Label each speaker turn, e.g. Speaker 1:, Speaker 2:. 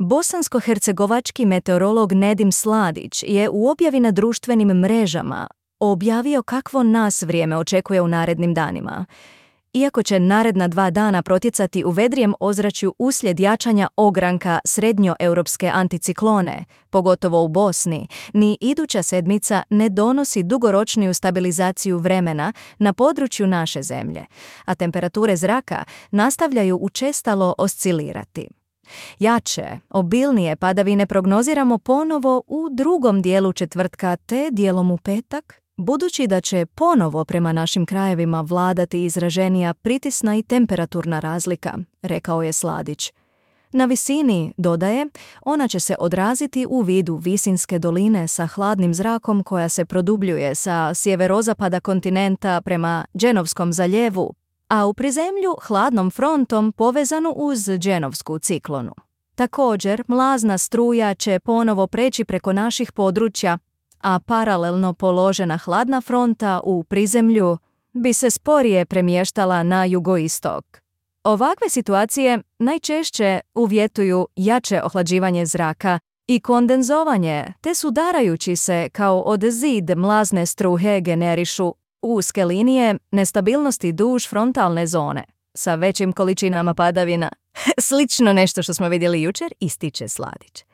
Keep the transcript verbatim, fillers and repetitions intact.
Speaker 1: Bosansko-hercegovački meteorolog Nedim Sladić je u objavi na društvenim mrežama objavio kakvo nas vrijeme očekuje u narednim danima. Iako će naredna dva dana protjecati u vedrijem ozračju uslijed jačanja ogranka srednjoeuropske anticiklone, pogotovo u Bosni, ni iduća sedmica ne donosi dugoročniju stabilizaciju vremena na području naše zemlje, a temperature zraka nastavljaju učestalo oscilirati. Jače, obilnije padavine prognoziramo ponovo u drugom dijelu četvrtka te dijelom u petak, budući da će ponovo prema našim krajevima vladati izraženija pritisna i temperaturna razlika, rekao je Sladić. Na visini, dodaje, ona će se odraziti u vidu visinske doline sa hladnim zrakom koja se produbljuje sa sjeverozapada kontinenta prema Dženovskom zaljevu, a u prizemlju hladnom frontom povezanu uz Dženovsku ciklonu. Također, mlazna struja će ponovo preći preko naših područja, a paralelno položena hladna fronta u prizemlju bi se sporije premještala na jugoistok. Ovakve situacije najčešće uvjetuju jače ohlađivanje zraka i kondenzovanje, te sudarajući se kao od zid mlazne struhe generišu uske linije nestabilnosti duž frontalne zone sa većim količinama padavina. Slično nešto što smo vidjeli jučer, ističe Sladić.